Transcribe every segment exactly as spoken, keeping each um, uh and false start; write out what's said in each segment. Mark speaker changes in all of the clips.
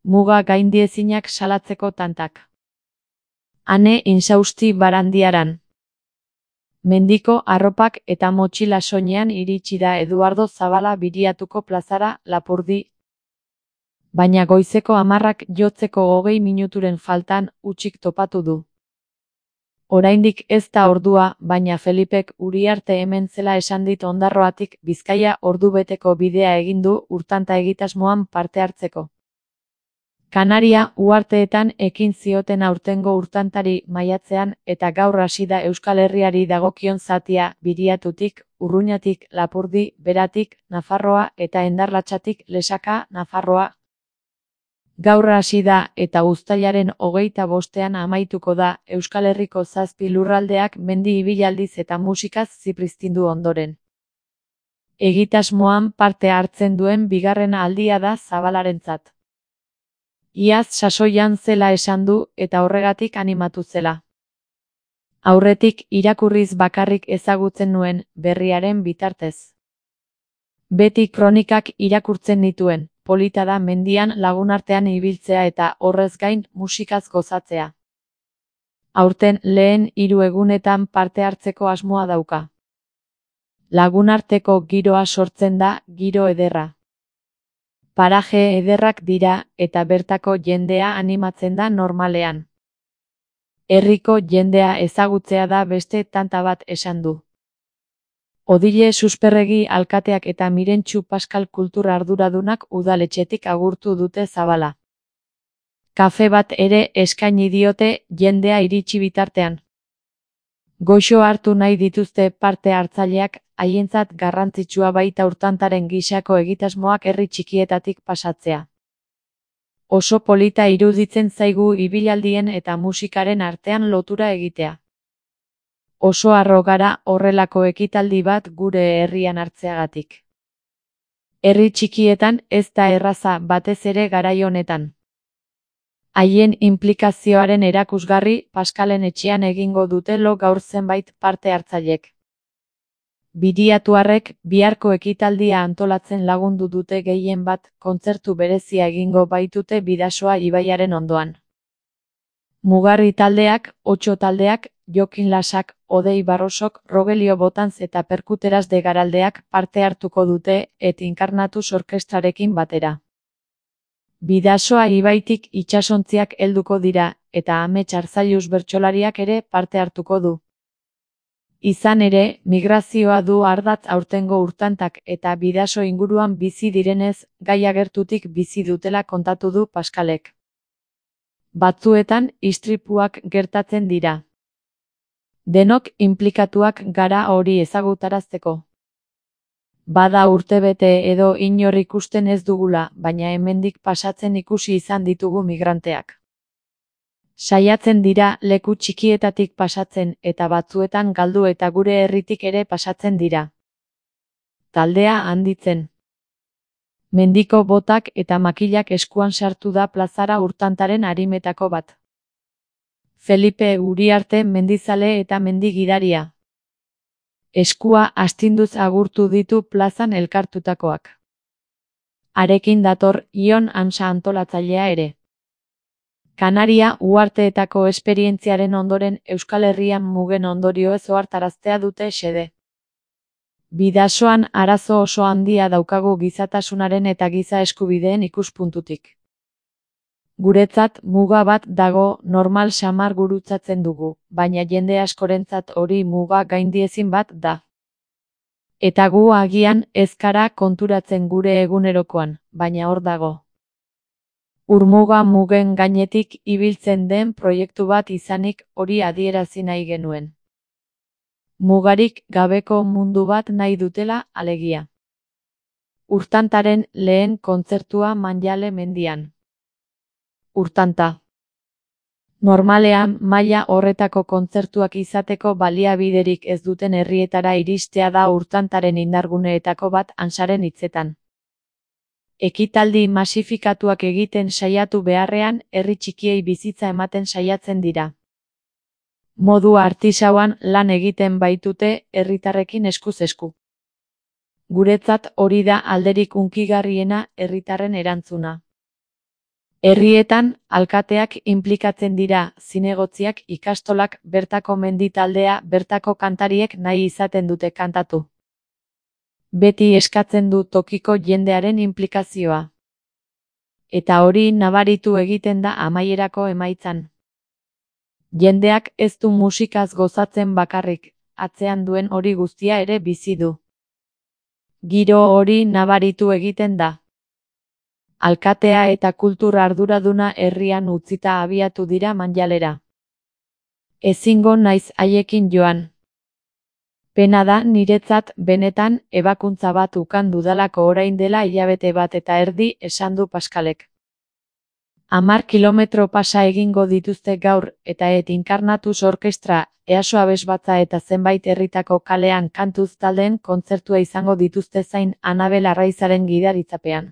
Speaker 1: muga gaindiezinak salatzeko tantak. Ane insausti Barandiaran. Mendiko arropak eta motxila soinean iritsi da Eduardo Zabala Biriatuko plazara Lapurdi. Baina goizeko hamarrak jotzeko hogei minuturen faltan hutsik topatu du. Oraindik ez da ordua, baina Felipek Uriarte hemen zela esan dit Ondarroatik Bizkaia ordubeteko bidea egin du Urtanta egitasmoan parte hartzeko. Kanaria uharteetan ekin zioten aurtengo Urtantari maiatzean eta gaur hasi da Euskal Herriari dagokion zatia Biriatutik, Urruñatik, Lapurdi, Beratik, Nafarroa eta Endarlatsatik Lesaka, Nafarroa. Gaur hasi da eta uztailaren hogeita bostean amaituko da Euskal Herriko zazpi lurraldeak mendi ibilaldiz eta musikaz zipriztindu ondoren. Egitasmoan parte hartzen duen bigarren aldia da Zabalarentzat. Iaz sasoian zela esan du eta horregatik animatu zela. Aurretik irakurriz bakarrik ezagutzen nuen berriaren bitartez. Beti kronikak irakurtzen nituen, polita da mendian lagunartean ibiltzea eta horrez gain musikaz gozatzea. Aurten lehen hiru egunetan parte hartzeko asmoa dauka. Lagunarteko giroa sortzen da, giro ederra. Paraje ederrak dira eta bertako jendea animatzen da normalean. Herriko jendea ezagutzea da beste tanta bat esan du. Odile Susperregi alkateak eta Mirentxu Paskal kultura arduradunak udaletxetik agurtu dute Zabala. Kafe bat ere eskaini diote jendea iritsi bitartean. Goxo hartu nahi dituzte parte hartzaileak, haientzat garrantzitsua baita Urtantaren gisako egitasmoak herri txikietatik pasatzea. Oso polita iruditzen zaigu ibilaldien eta musikaren artean lotura egitea. Oso harro gara horrelako ekitaldi bat gure herrian hartzeagatik. Herri txikietan ez da erraza batez ere garai honetan. Haien inplikazioaren erakusgarri Paskalen etxean egingo dute lo gaur zenbait parte hartzailek. Biriatuarrek biharko ekitaldia antolatzen lagundu dute gehien bat kontzertu berezia egingo baitute Bidasoa ibaiaren ondoan. Mugarri taldeak, Otso taldeak, Jokin Lasak, Odei Barrosok, Rogelio Botanz eta Perkuteras de Garaldeak parte hartuko dute et Inkarnatus orkestrarekin batera. Bidasoa ibaitik itsasontziak helduko dira eta Amets Arzallus bertsolariak ere parte hartuko du. Izan ere, migrazioa du ardatz aurtengo Urtantak eta Bidaso inguruan bizi direnez, gaia gertutik bizi dutela kontatu du Paskalek. Batzuetan istripuak gertatzen dira. Denok inplikatuak gara hori ezagutarazteko. Bada urtebete edo inor ikusten ez dugula, baina hemendik pasatzen ikusi izan ditugu migranteak. Saiatzen dira leku txikietatik pasatzen eta batzuetan galdu eta gure herritik ere pasatzen dira. Taldea handitzen. Mendiko botak eta makilak eskuan sartu da plazara Urtantaren arimetako bat. Felipe Uriarte mendizale eta mendigidaria. Eskua astinduz agurtu ditu plazan elkartutakoak. Harekin dator Ion Ansa antolatzailea ere. Kanaria uharteetako esperientziaren ondoren Euskal Herrian mugen ondorioez ohartaraztea dute xede. Bidasoan arazo oso handia daukagu gizatasunaren eta giza eskubideen ikuspuntutik. Guretzat muga bat dago normal samar gurutzatzen dugu, baina jende askorentzat hori muga gaindiezin bat da. Eta gu agian ez gara konturatzen gure egunerokoan, baina hor dago. Urmuga mugen gainetik ibiltzen den proiektu bat izanik hori adierazi nahi genuen. Mugarik gabeko mundu bat nahi dutela alegia. Urtantaren lehen kontzertua Manjale mendian. Urtanta. Normalean maila horretako kontzertuak izateko baliabiderik ez duten herrietara iristea da Urtantaren indarguneetako bat Ansaren hitzetan. Ekitaldi masifikatuak egiten saiatu beharrean herri txikiei bizitza ematen saiatzen dira. Modu artisauan lan egiten baitute herritarrekin eskuz esku. Guretzat hori da alderik hunkigarriena herritarren erantzuna. Herrietan, alkateak inplikatzen dira, zinegotziak, ikastolak, bertako mendi taldea, bertako kantariek nahi izaten dute kantatu. Beti eskatzen du tokiko jendearen inplikazioa. Eta hori nabaritu egiten da amaierako emaitzan. Jendeak ez du musikaz gozatzen bakarrik, atzean duen hori guztia ere bizi du. Giro hori nabaritu egiten da. Alkatea eta kultur arduraduna herrian utzita abiatu dira Manjalera. Ezingo naiz haiekin joan. Pena da niretzat benetan ebakuntza bat ukan dudalako orain dela hilabete bat eta erdi, esan du Paskalek. Hamar kilometro pasa egingo dituzte gaur eta et Inkarnatus orkestra, Easo abesbatza eta zenbait herritako kalean kantuz taldeen kontzertua izango dituzte zain Anabel Arraizaren gidaritzapean.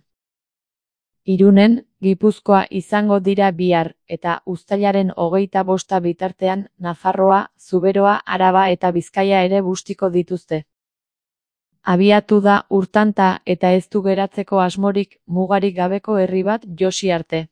Speaker 1: Irunen, Gipuzkoa izango dira bihar, eta uztailaren hogeita bosta bitartean, Nafarroa, Zuberoa, Araba eta Bizkaia ere bustiko dituzte. Abiatu da urtanta eta ez du geratzeko asmorik, mugarik gabeko herri bat Josi arte.